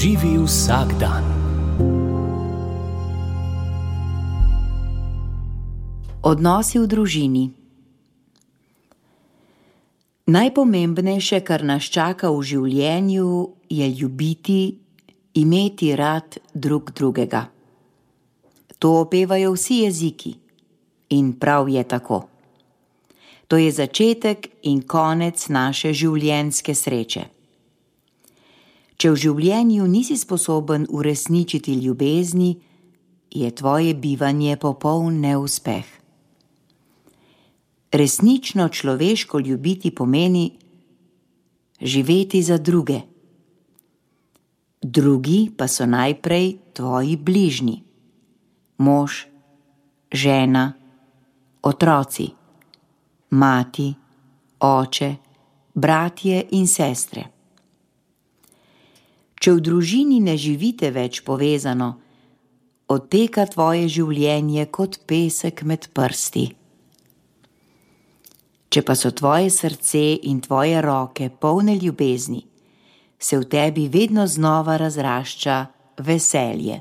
Živi vsak dan. Odnosi v družini. Najpomembnejše, kar nas čaka v življenju, je ljubiti, imeti rad drug drugega. To opevajo vsi jeziki in prav je tako. To je začetek in konec naše življenjske sreče. Če v življenju nisi sposoben uresničiti ljubezni, je tvoje bivanje popoln neuspeh. Resnično človeško ljubiti pomeni živeti za druge. Drugi pa so najprej tvoji bližnji. Mož, žena, otroci, mati, oče, bratje in sestre. Če v družini ne živite več povezano, odteka tvoje življenje kot pesek med prsti. Če pa so tvoje srce in tvoje roke polne ljubezni, se v tebi vedno znova razrašča veselje.